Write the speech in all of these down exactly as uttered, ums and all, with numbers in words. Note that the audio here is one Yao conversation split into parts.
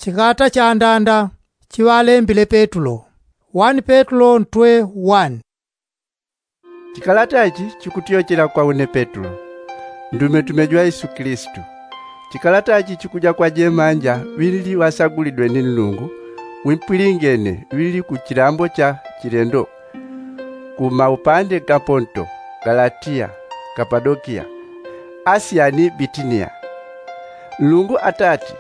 Chikata cha ndanda chiŵalembile petulo. Wani petulo ntwe wani. Chikalata ichi chikutyochela kwa une petulo, ndumetume jwa yesu kilisitu. Chikalata ichi chikuja kwa jemanja ŵilili ŵasagulidwe ni nlungu, wimpwilingene ŵilili ku chilambo cha chilendo, ku maupande ga ponto, galatiya, kapadokiya, asiya ni bitiniya. Nlungu atati,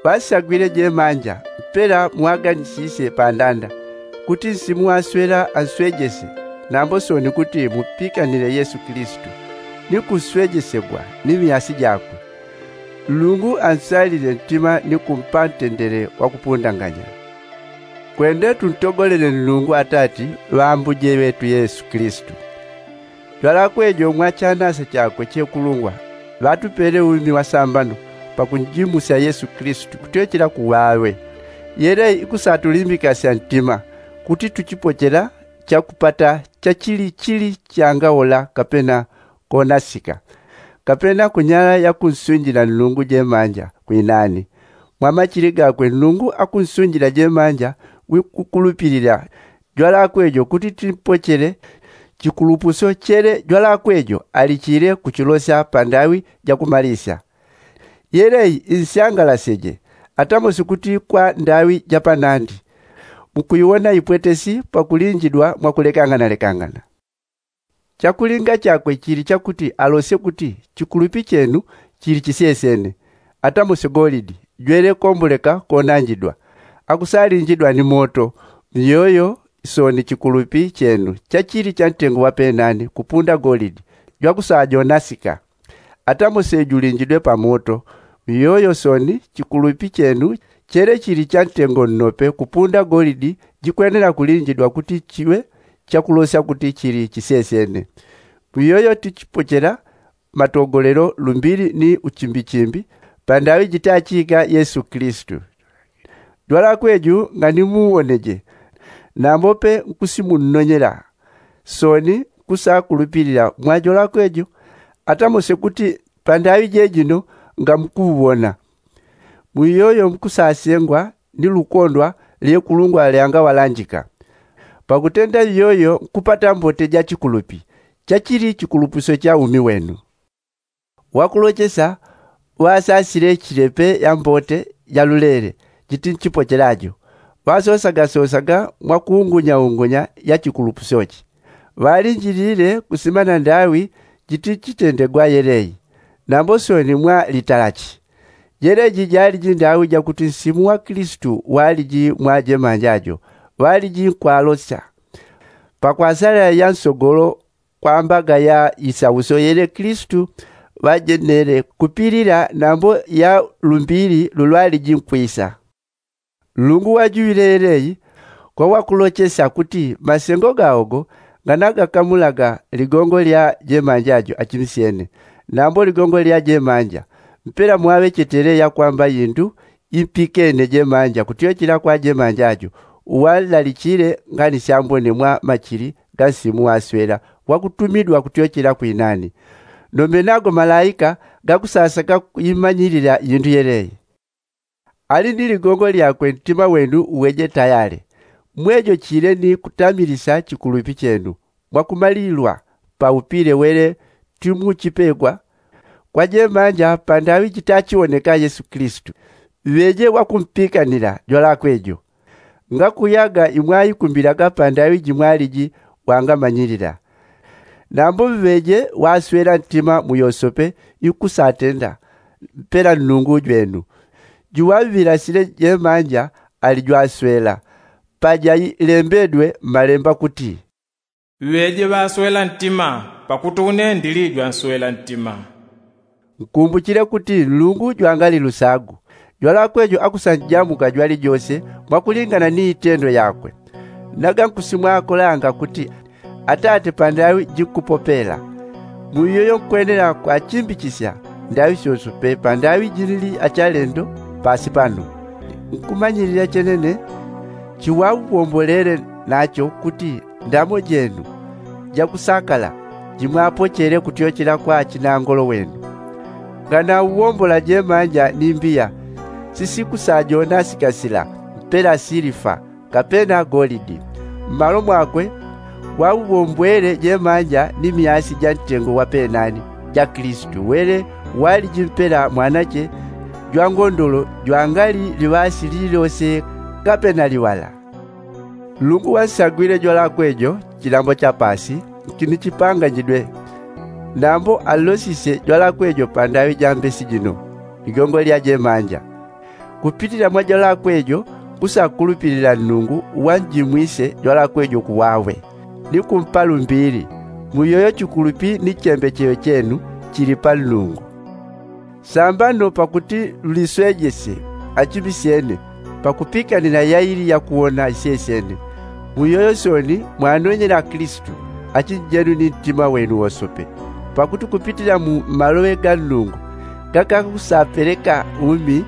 ŵasagwile jemanja mpela mwaganisisye pandanda, kuti nsimu waswela answejese, nambo soni kuti mupikanile yesu kilisitu, ni kuswejesegwa ni miasi jakwe. Nlungu ansalile ntima ni kumpa ntendele wa kupundanganya. Kwende tuntogolele nlungu atati ŵambuje ŵetu yesu kilisitu. Jwalakwe jo mwa chanasa chakwe chekulungwa, ŵatupele umi wasambano pakunjimusya yesu kilisitu kutyochela kuŵaŵe. Yelei ikusatulimbikasya ntima kuti tuchipochela chakupata chachili chili changawola kapena konasika, kapena kunyala yakunsunjila nlungu jemanja kwinani. Mwa machili gakwe nlungu akunsunjila jemanja wikukulupilila jwalakwe jo kuti tipochele chikulupuso chele jwalakwe jo alichile kuchilosya pandaŵi jakumalisya. Yelei insyangalaseje, atamosi kuti kwa ndaŵi japanandi, mukuiwona ipwetesi pakulinjidwa mwakulekangana lekangana. Chakulinga chakwe chili chakuti alosye kuti chikulupi chenu chili chisyesene, atamose golidi jwele komboleka konanjidwa, akusalinjidwa ni moto. Miyoyo soni chikulupi chenu chachili chantengo wapenani kupunda golidi, jwakusajonasika, atamose julinjidwe pamoto. Miyoyo soni chikulupi chenu chele chili chantengo nnope kupunda golidi, jikwenela kulinjidwa kuti chiŵe chakulosya kuti chili chisyesene. Mwiyoyo tichipochela matogolelo lumbili ni uchimbichimbi pandaŵi jitachiika yesu kilisitu. Jwalakwe ju nganimuwoneje, nambope nkusimunnonyela soni nkusakulupilila mwa jwalakwe ju, atamose kuti pandaŵi jejino ngamkuuwona. Mwiyoyo nkusasyengwa ni lukondwa lyekulungwa lyangaŵalanjika. Pakutenda iyoyo nkupata mbote ja chikulupi chachili chikulupuso cha umi wenu. Wakulochesa ŵasasile chilepe ya mbote ja lulele jiti nchipochela jo, ŵasosagasosaga mwa kuungunyaungunya ya chikulupuso chi. Ŵalinjilile kusimana ndaŵi jiti nchitendegwa yelei, nambo soni mwa litalachi. Jeleji jaliji ndaŵi jakuti nsimu wa kilisitu waliji mwa jemanja jo, ŵaliji nkwalosya. Pakwasala ya nsogolo kwa mbaga ya isauso yele kilisitu ŵajenele kupilila nambo ya lumbili lulwaliji nkwisa. Nlungu wajuŵile yeleyi kwa wakulochesya kuti masengo gaogo nganagakamulaga ligongo lya jemanja jo achimsyene, nambo ligongo lya jemanja mpela mwaŵechetele yakwamba indu impikene jemanja kutyochela kwa jemanja jo, uwalalichile ngani syambone mwa machili ga nsimu waswela wakutumidwa kutyochela kwinani. Nombe nago malaika gakusasaka kuimanyilila indu yeleyi. Ali ni ligongo lyakwe ntima wenu uweje tayale, mwejo chile ni kutamilisya chikulupi chenu mwakumalilwa pa upile wele timuchipegwa kwa jemanja pandaŵi jitachiwoneka yesu kilisitu, ŵeje wakumpikanila jwalakwe jo. Ngakuyaga imwaikumbilaga pandaŵi jimwaliji wangamanyilila. Nambo ŵeje waswela ntima muyosope ikusatenda mpela nnungu jwenu. Juŵaŵilasile jemanja ali jwaswela, pajailembedwe mmalemba kuti, ŵeje ŵaswela ntima, pakuti une ndili jwanswela ntima. Nkumbuchile kuti nlungu jwangali lusagu, jwalakwe jo akusanjamuka jwalijose mwakulingana ni itendo yakwe. Naga nkusimwakolanga kuti atate pandaŵi jinkupopela. Muiyoyo nkwenela kwachimbichisya ndaŵi syonse pe pandaŵi jinili achalendo pasi pano. Nkumanyilila chenene chiŵawombolele nacho kuti ndamo jenu jakusakala jimwapochele kutyochela kwa chinangolo wenu. Nganauwombola jemanja ni mbiya sisikusajona sikasila mpela silifa kapena golidi. Mmalo mwakwe waubombwele jemanja ni myasi ja ntengo wa penani ja kilisito wele waliji mpela mwanache jwa ngondolo jwangali liŵasi lililose kapena liŵala. Nlungu wansagwile jwalakwe jo chilambo cha paasi nkinichipanganyidwe. Nambo anlosisye jwalakwe jo pandaŵi ja mbesi jino ligongo lya jemanja. Kupitila mwa jwalakwe jo nkusakulupilila nlungu wanjimwisye jwalakwe jo kuwawe ni kumpa lumbili. Muyoyo chikulupi ni chembechelo chenu chili pa nlungu. Sambano pakuti luliswejesye achimisyene pakupikanila yaili yakuwona isyesyene. Muyoyo soni mwanonyela kilisito achinjenu ni ntima wenu wosope. Pakuti kupitila mu maloŵe ga nlungu gakakusapeleka umi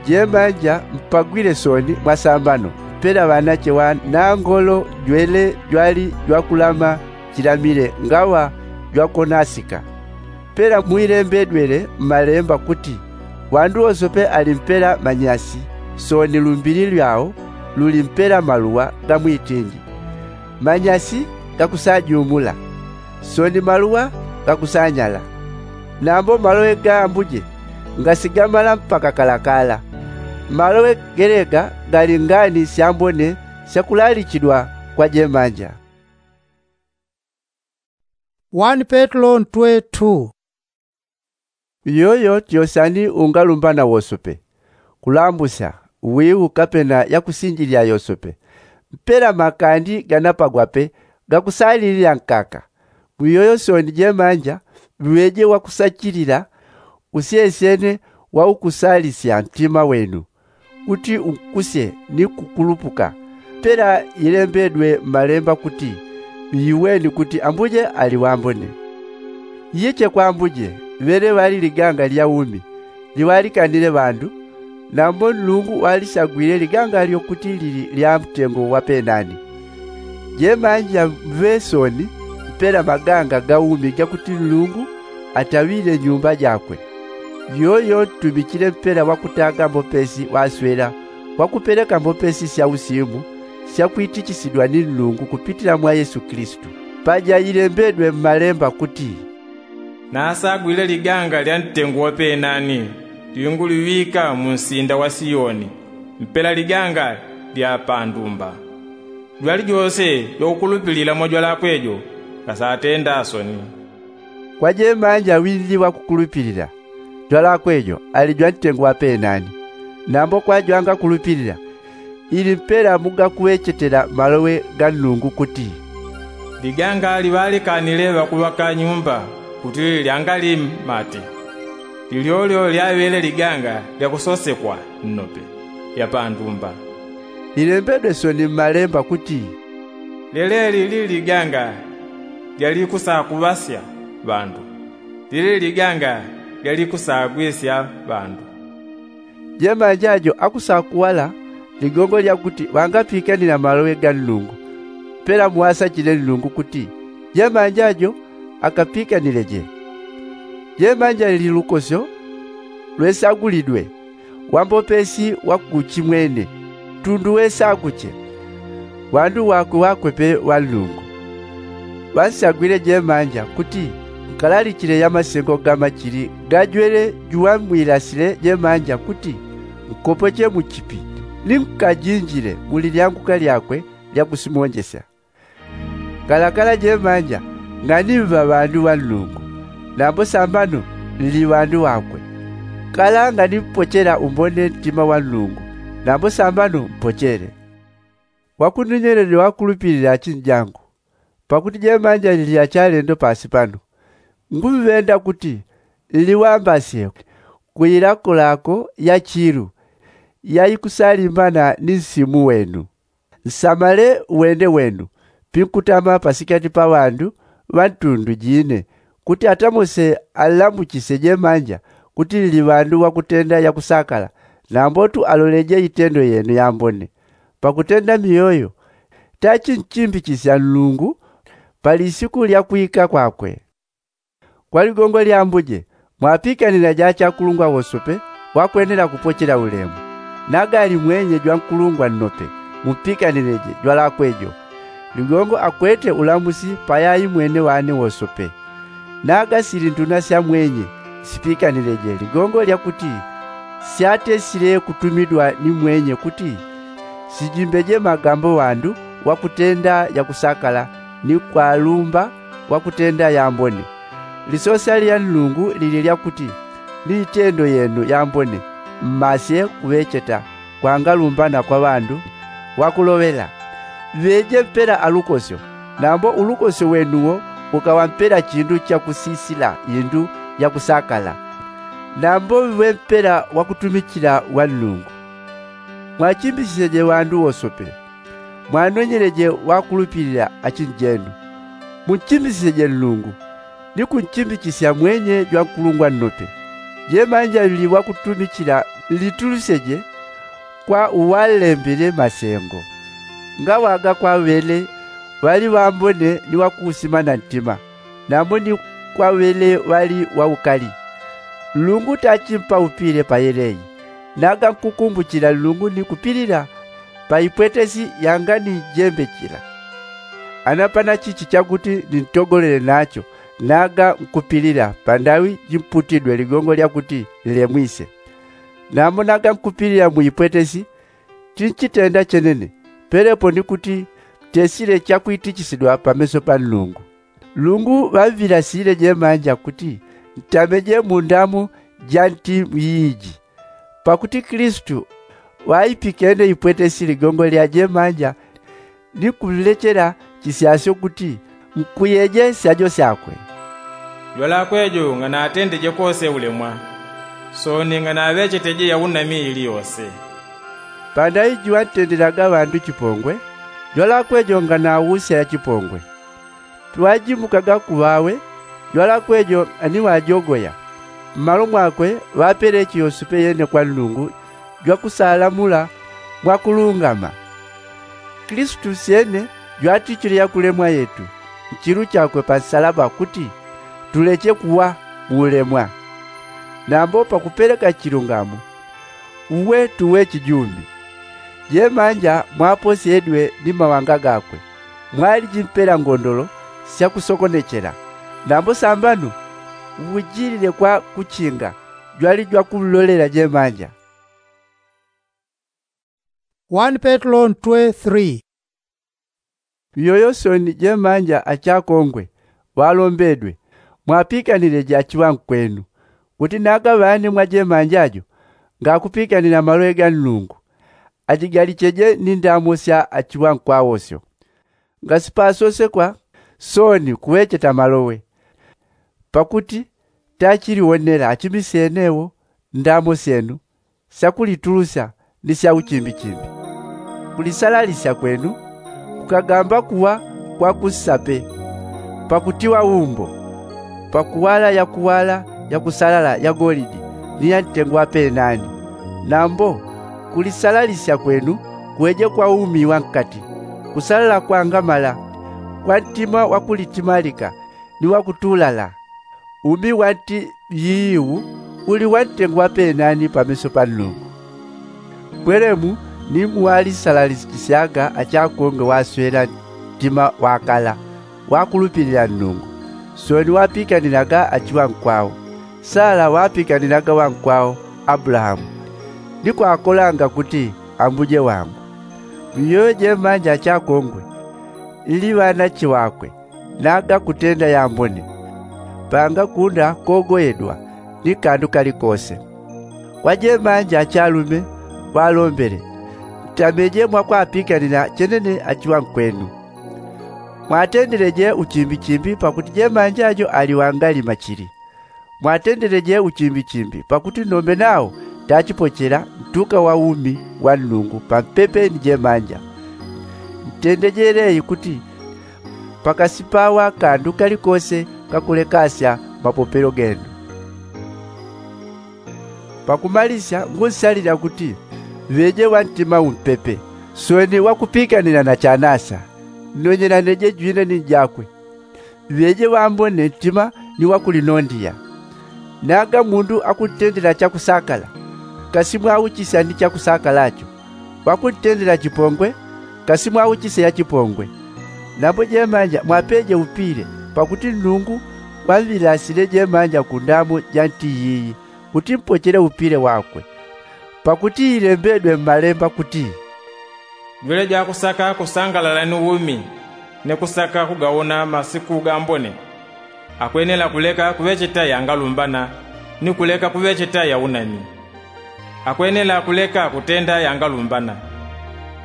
jemanja mpagwile soni mwa sambano mpela ŵanache ŵa nangolo jwele jwali jwakulama chilamile ngaŵa jwakonasika. Mpela mwilembedwele mmalemba kuti ŵandu wosope ali mpela manyasi soni lumbili lwao luli mpela maluŵa ga mwitindi. Manyasi gakusajumula soni maluŵa gakusanyala. Nambo maloŵe ga ambuje ngasigamala mpaka kalakala. Maloŵe gelega gali ngani syambone syakulalichidwa kwa jemanja. Wani petelo ntwe tu. Iyoyo tyosani ungalumbana wosope kulambusya wiu kapena yakusinjilila yosope. Mpela makandi ganapagwape gakusalilila nkaka. Mwiyoyo soni jemanja ŵeje wakusachilila usyesyene waukusalisya ntima wenu kuti unkusye ni kukulupuka. Mpela yilembedwe mmalemba kuti, ŵiweni kuti ambuje ali wambone. Iye chekwambuje ŵele ŵali liganga lya umi liŵalikanile ŵandu. Nambo nlungu walisagwile liganga lyo kuti lili lya mtengo wa penani. Jemanja mŵe soni mpela maganga ga umi gakuti nlungu ataŵile nyumba jakwe. Yoyo ntumichile mpela wakutaga mbopesi waswela wakupeleka mbopesi sya usimu syakwitichisidwa ni nlungu kupitila mwa yesu kilisito. Paja yilembedwe mmalemba kuti, nasagwile liganga lya ntengo wa penani linguliŵika mu nsinda wa siyoni mpela liganga lya pandumba. Jwalijose jwakukulupilila mwa jwalakwe jo ngasatenda soni. Kwa jemanja ŵinli wakukulupilila jwalakwe jo ali jwantengo wa penani. Nambo kwa jwangakulupilila ili mpela mugakuŵechetela maloŵe ga nlungu kuti, liganga liŵalikanile ŵakuŵaka nyumba kuti lyangali mate. Lilyolyo lyaŵele liganga lyakusosekwa nnope lya pandumba. Lilembedwe soni mmalemba kuti, leleli lili liganga lyalikusakuŵasya ŵandu. Lili liganga lyalikusagwisya ŵandu. Jemanja jo akusakuŵala ligongo lyakuti ŵangapikanila maloŵe ga nlungu. Mpela muŵasachile nlungu kuti jemanja jo akapikanileje. Jemanja lili lukosyo lwesagulidwe wambopesi wakuchimwene tundu wesaguche. Ŵandu ŵakwe ŵakwe pe ŵa nlungu. Ŵansagwile jemanja kuti nkalalichile ya masengo ga machili gajwele juŵamwilasile jemanja kuti nkopoche mu chipi ni nkajinjile mu lilyanguka lyakwe lya kusimonjesya. Kalakala jemanja nganimva ŵandu ŵa nlungu. Nambo sambano nli ŵandu ŵakwe. Kala nganimpochela umbone ntima wa nlungu. Nambo sambano mpochele. Wakuninyelele wakulupilila achinjangu pakuti jemanja nli achalendo pasi pano. Ngumŵenda kuti nliŵambasye kuilakolako ya chilu yaikusalimbana ni nsimu wenu. Nsamale uwende wenu pinkutama pasikati pa ŵandu ŵa ntundu jine kuti atamose anlamuchisye jemanja kuti nli ŵandu ŵakutenda yakusakala. Nambotu aloleje itendo yenu yambone pakutenda miyoyo tachinchimbichisya nlungu pa lisiku lya kwika kwakwe. Kwa ligongo lya ambuje mwapikanila ja achakulungwa wosope kwakwenela kupochela ulemu. Naga ali mwenye jwankulungwa nnope, mupikanileje jwalakwe jo. Ligongo akwete ulamusi payai mwene wane wosope. Naga sili nduna sya mwenye, sipikanileje ligongo lya kuti syatesile kutumidwa ni mwenye kuti sijimbeje magambo wandu wakutenda yakusakala ni kwalumba wakutenda yambone. Lisosya lya nlungu lili lya kuti ni itendo yenu yambone mmasye kuŵecheta kwangalumbana kwa ŵandu wakuloŵela. Ŵeje mpela alukosyo, nambo ulukosyo wenuwo ukaŵa mpela chindu chakusisila indu yakusakala, nambo ŵe mpela wakutumichila wa nlungu. Mwachimbichiseje ŵandu wosope. Mwanonyeleje wakulupilila achinjenu. Munchimbichiseje nlungu ni kunchimbichisya mwenye jwankulungwa nnope. Jemanja ŵili wakutumichila nlituluseje kwa uwalembele masengo. Ngaŵaga kwa ŵele ŵali ŵambone ni wakuusimana ntima, nambo ni kwa ŵele ŵali waukali. Nlungu tachimpaupile payeleyi. Naga nkukumbuchila nlungu ni kupilila pa ipwetesi yanga ni jembe chila. Ana pana chichi chakuti nintogolele nacho, naga nkupilila pandaŵi jimputidwe ligongo lya kuti nlemwise. Nambo naga nkupilila mu ipwetesi, chinchitenda chenene, pelepo ni kuti tesile chakwitichisidwa pameso pa nlungu. Nlungu ŵaŵilasile jemanja kuti ntameje mu ndamo ja nti iji. Pakuti kilisitu ŵaipikene ipwetesi ligongo lya jemanja ni kunlechela chisyasyo kuti nkuyeje syajo syakwe. Jwalakwe jo nganatendeje kose ulemwa, soni nganaŵecheteje yaunami ili yose. Pandaŵi juŵantendelaga ŵandu chipongwe, jwalakwe jo nganawusya yachipongwe. Piŵajimukaga kuŵawe, jwalakwe jo aniŵajogoya. Mmalo mwakwe ŵapeleche yosepe yene kwa nlungu jwakusalamula mwakulungama. Kilisitu syene jwatichile yakulemwa yetu nchilu chakwe pa nsalaba kuti tuleche kuŵa mu ulemwa, nambo pakupeleka chilungamo uwe tuwe chijumbi. Jemanja mwaposyedwe ni mawanga gakwe, mwaliji mpela ngondolo syakusokonechela. Nambo sambano uwujilile kwa kuchinga jwali jwakunlolela jemanja. One Petro ntwe three. Iyoyo soni jemanja achakongwe ŵalombedwe, mwapikanileje achiŵankwenu, kuti naga ŵane mwa jemanja jo ngakupikanila maloŵe ga nlungu, ajigalicheje ni ndamo sya achiŵankwawosyo. Ngasipasosekwa soni kuŵecheta maloŵe, pakuti tachiliwonela achimisyenewo ndamo syenu syakulitulusya ni sya uchimbichimbi. Kulisalalisya kwenu kukagamba kuŵa kwa kunsape, pakutiŵa umbo, pakuŵala yakuŵala yakusalala ya golidi ni ya ntengo wa penani. Nambo kulisalalisya kwenu kuŵeje kwa umi wa nkati, kusalala kwangamala, kwa ntima wakulitimalika ni wakutulala. Umi wa nti yiiwu uli wa ntengo wa penani pameso pa Nlungu. Pwelemu ni muwalisalalisikisyaga achakonge waswela ntima wakala wakulupilila Nlungu. Soni wapikanilaga achiŵankwao. Sala wapikanilaga ŵankwao Abulahamu, ni kwakolanga kuti ambuje wangu. Miyoyo jemanja achakongwe nli ŵanache ŵakwe, naga kutenda yambone, pangakunda kogoyedwa ni kandu kalikose. Kwa jemanja achalume ŵalombele, ntameje mwakwapikanila chenene achiŵankwenu. Mwatendeleje uchimbichimbi pakuti jemanja jo ali wangalima chili. Mwatendeleje uchimbichimbi pakuti nombe nao tachipochela ntuka wa umi wa Nlungu pampepe ni jemanja. Ntendejeleyi kuti pakasipawa kandu kalikose kakulekasya mapopelo genu. Pakumalisya ngunsalila kuti ŵeje ŵa ntima umpepe, soni wakupikanila na chanasa, nonyelaneje jwine ni njakwe. Ŵeje ŵambone ntima ni wakulinondiya. Naga mundu akuntendela chakusakala, kasi mwauchisya ni chakusakalacho. Wakuntendela chipongwe, kasi mwauchisya ya chipongwe. Nambo jemanja mwapeje upile, pakuti nnungu wamvilasile jemanja kundamo ja nti yiyi, kuti mpochele upile wakwe. Pakuti ilembedwe mmalemba kuti, jwele jwakusaka kusangalala ni umi, ni kusaka kugaona masiku gambone, akwenela kuleka kuŵecheta yangalumbana, ni kuleka kuŵecheta yaunami. Akwenela kuleka kutenda yangalumbana,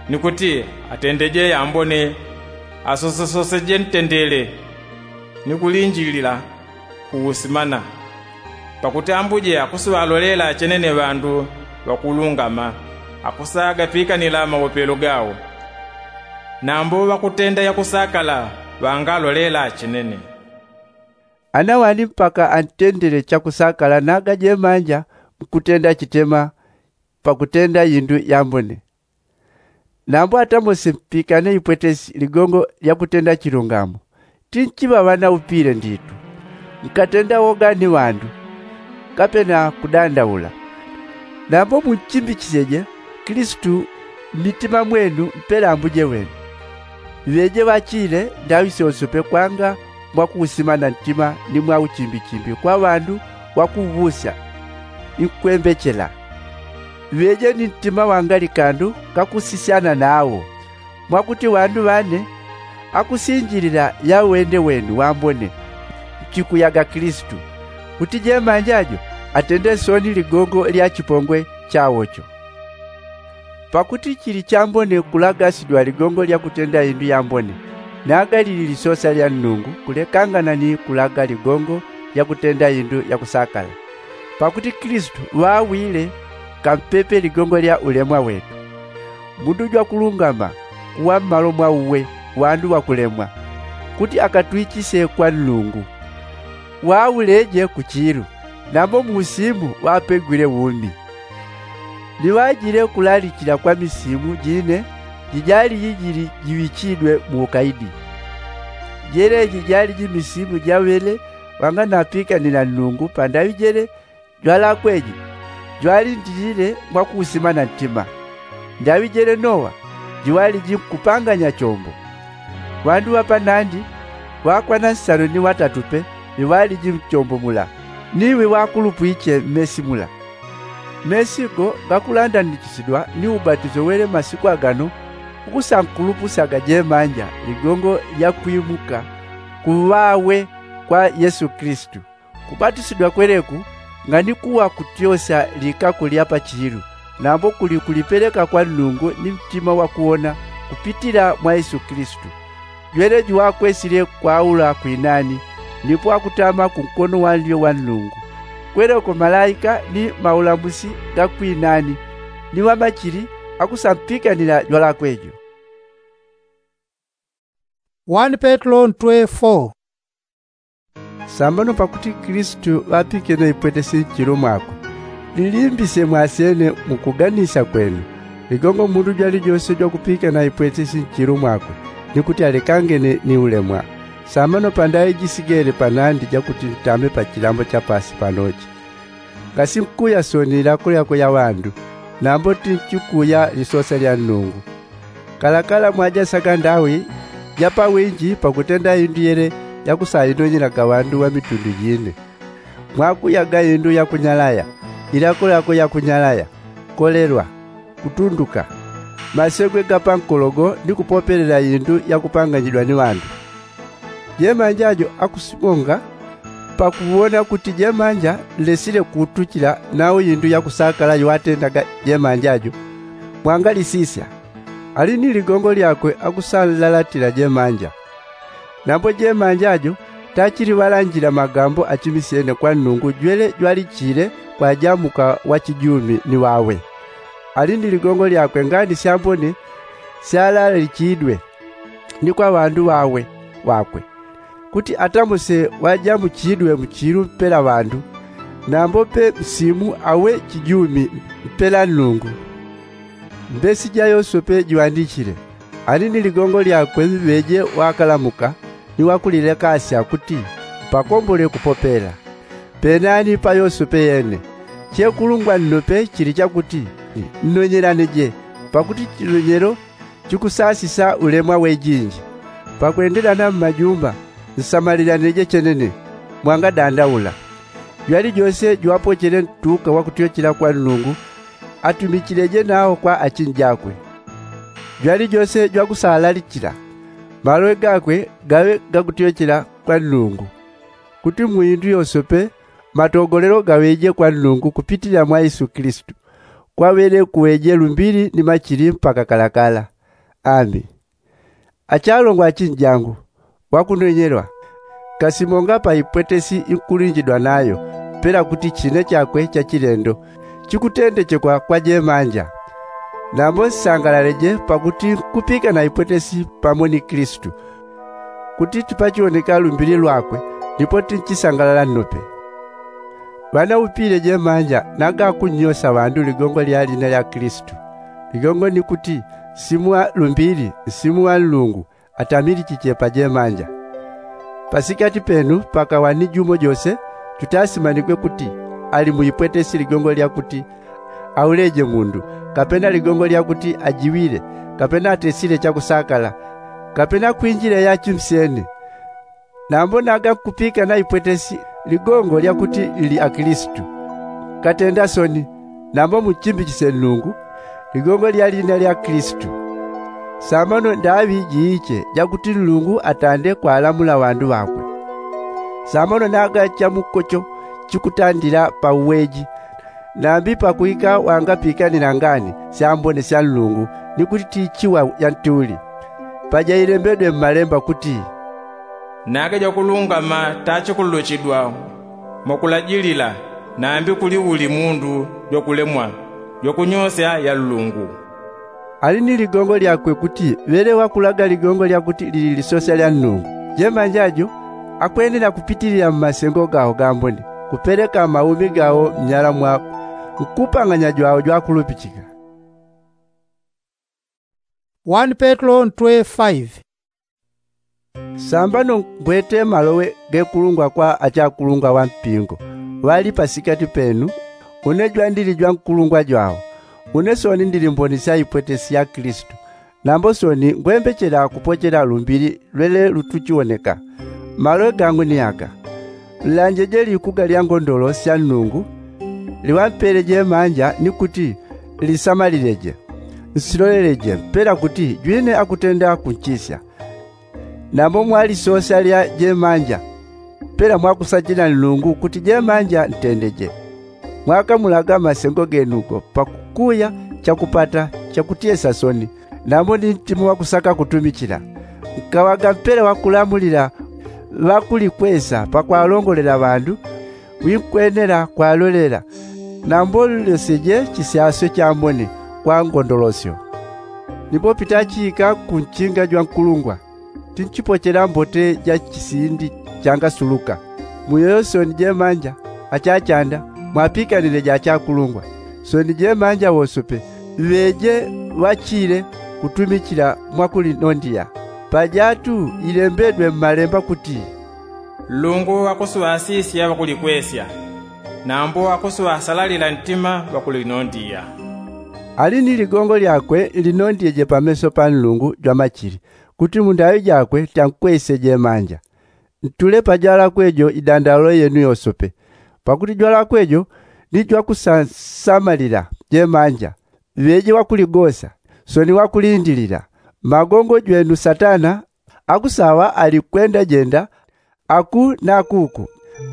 ni kuti atendeje yambone, asosesoseje ntendele, ni kulinjilila kuusimana. Pakuti ambuje akusiŵalolela chenene ŵandu ŵakulungama, akusagapikanila maopelo gao. Nambo ŵakutenda yakusakala ŵangalolela chenene. Ana wani mpaka antendele chakusakala naga jemanja mkutenda chitema pakutenda yindu yambone. Nambo atamose mpikane ipwetesi ligongo lya kutenda chilungamo, tinchiŵaŵa na upile nditu, nkatenda woga ni ŵandu, kapena kudandaula. Nambo munchimbichiseje kilisitu mmitima mwenu mpela ambuje wenu. Ŵeje ŵachile ndaŵi syonse pe kwanga mwakuusimana ntima ni mwauchimbichimbi kwa ŵandu ŵakuuŵusya, ni kwembechela. Ŵeje ni ntima wangali kandu kakusisyana nawo, mwakuti ŵandu ŵane akusinjilila yawende wenu wambone mchikuyaga kilisitu, kuti jemanja jo atende soni ligongo lya chipongwe chawo cho. Pakuti chili chambone kulagasidwa ligongo lya kutenda indu yambone, naga lili lisosa lya nnungu kulekangana ni kulaga ligongo lya kutenda indu yakusakala. Pakuti kilisitu ŵawile kampepe ligongo lya ulemwa wetu, mundu jwakulungama kuŵa mmalo mwa uwe ŵandu ŵakulemwa, kuti akatwichisye kwa nnungu. Ŵauleje kuchilu, nambo muusimu ŵapegwile umi. Ni ŵajile kulalichila kwa misimu jine jijali jijili jiŵichidwe muukaidi. Jeleji jali jimisimu jaŵele ŵanganapikanila nnungu pandaŵi jele jwalakweje, jwalindilile mwakuusimana ntima. Ndaŵi jele nowa jiŵaliji nkupanganya chombo. Ŵandu ŵa panandi ŵakwana nsano ni ŵatatu pe ŵiŵaliji mchombo mula, niwi ŵakulupwiche mmesi mula. Mesi go gakulandanichisidwa ni ubatiso wele masiku agano ukusankulupusyaga jemanja ligongo lya kwimuka ku ŵawe kwa yesu kilisitu. Kubatisidwa kweleku nganikuwa kutyosya likako lya pachilu, nambo kuli kulipeleka kwa nnungu ni mtima wakuwona kupitila mwa yesu kilisitu. Jwele juwakwesile kwaula kwinani, nipo akutama kunkono wa nlyo wa nnungu. Kweleko malaika ni maulamusi ga kwinani ni ŵamachili akusampikanila jwalakwe jo. Sambano pakuti kilisitu ŵapikene ipwetesi nchilo mwakwe, lilimbisye mwasyene mukuganisya kwenu. Ligongo mundu jwalijose jwakupikana ipwetesi nchilo mwakwe, ni kuti alekangene ni ulemwa. Sambano pandaŵi jisigele panandi jakuti ntame pachilambo cha paasi panochi. Ngasinkuya soni ilako lyakwe ya ŵandu, nambo tinchikuya lisosa lya nnungu. Kalakala mwajasaga ndaŵi ja pawinji pakutenda indu yele yakusainonyelaga ŵandu ŵa mitundu jine. Mwakuyaga indu yakunyalaya, ilako lyakwe yakunyalaya, kolelwa, kutunduka, masegwe ga pankologo ni kupopelela indu yakupanganyidwa ni ŵandu. Jemanja jo akusimonga pakuwona kuti jemanja nlesile kuutuchila nau indu yakusakala yowatendaga jemanja jo, mwangalisisya. Ali ni ligongo lyakwe akusanlalatila jemanja. Nambo jemanja jo tachili ŵalanjila magambo achimisyene kwa nnungu jwele jwalichile kwajamuka wachijumi ni wawe. Ali ni ligongo lyakwe ngani syambone syalalichidwe ni kwa ŵandu ŵawe ŵakwe, kuti atamuse ŵajamuchidwe muchilu mpela ŵandu, nambo pe msimu awe chijumi mpela nnungu. Mbesi ja yosope jiŵandichile. Ani ni ligongo lyakwe ŵeje ŵakalamuka ni ŵakulilekasya kuti ŵakombole kupopela. Penani pa yosope yene. Chekulungwa nnope chili chakuti, nnonyelaneje, pakuti chinonyelo chikusasisa ulemwa wejinji. Pakwendelana mmajumba, nsamalilaneje chenene, mwangadandaula. Jwalijose jwapochele ntuka wakutyochela kwa nnungu, atumichileje nao kwa achinjakwe. Jwalijose jwakusalalichila, malowe gakwe gaŵe gakutyochela kwa nnungu, kuti muindu yosope matogolelo gaŵeje kwa nnungu kupitilila mwa yesu kilisitu. Kwaŵele kuŵeje lumbili ni machili mpaka kalakala. Ami achalongwa achinjangu, wakunonyelwa, kasimonga pa ipwetesi inkulinjidwa nayo, pela kuti chine chakwe chachilendo chikutendechekwa kwa jemanja. Nambo nsangalaleje pakuti nkupika na ipwetesi pamo ni kilisitu, kuti tipachioneka lumbili lwakwe, ndipo tinchisangalala nnope. Ŵanaupile jemanja nagakunnyosa ŵandu ligongo lya lina lya kilisitu. Ligongo ni kuti nsimu wa lumbili nsimu wa nlungu atamilichiche pa jemanja. Pasikati penu pakaŵa ni jumo jose jutasimanigwe kuti ali mu ipwetesi ligongo lya kuti auleje mundu, kapena ligongo lya kuti ajiŵile, kapena atesile chakusakala, kapena kwinjile ya chimsyene. Nambo naga nkupika na ipwetesi ligongo lya kuti lili akilisitu, nkatenda soni. Nambo munchimbichisye nnungu ligongo lya lina lya kilisitu. Sambano ndaŵi jiiche jakuti nnungu atande kwalamula ŵandu ŵakwe. Sambano naga chamukocho chikutandila pa uweji, nambi pakwika wangapikanila ngani syambone sya nnungu, ni kuti tichiŵa yantuli. Pajailembedwe mmalemba kuti, nage jwakulungama tachikululuchidwa mwakulajilila, nambi kuli uli mundu jwakulemwa jwakunyosya ya nlungu. Ali ni ligongo lyakwe kuti ŵele ŵakulaga ligongo lya kuti lili lisosya lya nnungu. Jemanja jo akwenela kupitilila mmasengo gawo gambone, kupeleka maumi gawo mnyala mwa nkupang'anya jwawo jwakulupichika. Sambano ngwete malowe gekulungwa kwa achakulungwa ŵa mpingo ŵali pasikati penu. Une jwandili jwankulungwa jwawo. Une soni ndili mboni sya ipwetesi ya kilisitu. Nambo soni ngwembechela kupochela lumbili lwele lutuchiwoneka. Malowe gangu ni aga. Nlanjeje likuga lya ngondolo sya nnungu liŵampele jemanja ni kuti lisamalileje. Nsiloleleje mpela kuti jwine akutenda kunchisya. Nambo mwalisosya lya jemanja mpela mwakusachila nnungu kuti jemanja ntendeje. Mwakamulaga masengo genugo pakukuya chakupata chakutyesa soni, nambo ni ntima wakusaka kutumichila. Nkaŵaga mpela wakulamulila ŵakulikwesa pakwalongolela ŵandu. Winkwenela kwalolela. Nambo nlyoseje chisyasyo chambone kwa ngondolosyo. Nipo pitachiika kunchinga jwankulungwa tinchipochela mbote ja chisindi changasuluka. Muyoyo soni jemanja achachanda mwapikanile ja achakulungwa. Soni jemanja wosope ŵeje ŵachile kutumichila mwakulinondiya. Pajatu ilembedwe mmalemba kuti, nlungu akusuŵasisya ŵakulikwesya, nambo akusuŵasalalila ntima ŵakulinondiya. Ali ni ligongo lyakwe linondyeje pameso pa nlungu jwamachili kuti mu ndaŵi jakwe tankwesye jemanja. Ntule pa jwalakwe jo idandaulo yenu yosope. Pakuti jwalakwe jo ni jwakusansamalila jemanja. Ŵeje ŵakuligosa soni ŵakulindilila. Magongo jwenu satana akusaŵa alikwendajenda aku na kuku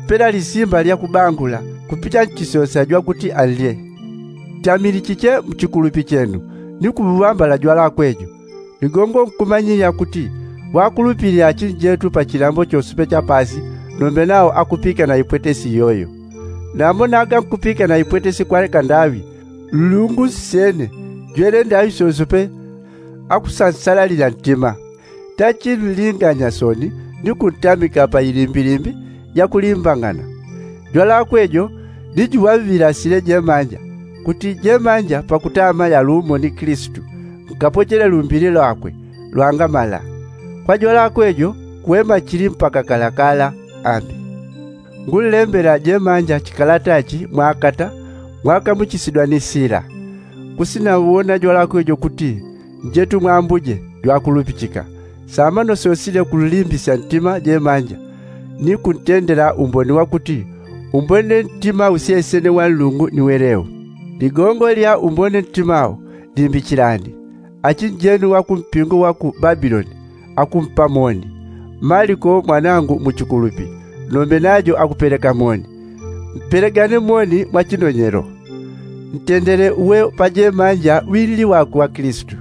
mpela lisimba lyakubangula kupita nchisosa jwakuti anlye. Tamilichiche mchikulupi chenu ni kuŵambala jwalakwe jo. Ligongo nkumanyilila kuti ŵakulupili achinjetu pa chilambo chosope cha paasi nombe nawo akupika na ipwetesi iyoyo. Nambo naga nkupika na ipwetesi kwa kandaŵi nlungu nsyene jwele ndaŵi sosope akusansalalila ntima. Tachinlinganya soni ni kuntamika pa ilimbilimbi yakulimbang'ana. Jwalakwe jo ni juŵaŵilasile jemanja kuti jemanja pakutama yalumo ni kilisitu nkapochele lumbili lwakwe lwangamala. Kwa jwalakwe jo kuŵe machili mpaka kalakala. Ami ngunlembela jemanja chikalata chi mwakata Mwakamuchisidwa ni sila. Kusina uwona jwalakwe jo kuti njetu mwambuje jwakulupichika. Samano sosile kululimbisya ntima jemanja ni kuntendela umboni wa kuti umbone ntima usyesene wa nlungu ni weleu. Ligongo lya umbone ntimau limbichilani. Achinjenu wa kumpingo wa ku babiloni akumpamoni. Maliko mwanangu muchikulupi, nombe najo akupeleka moni. Mpelegane moni mwa chinonyelo. Ntendele uwe pajemanja wili wakwe wa kilisitu.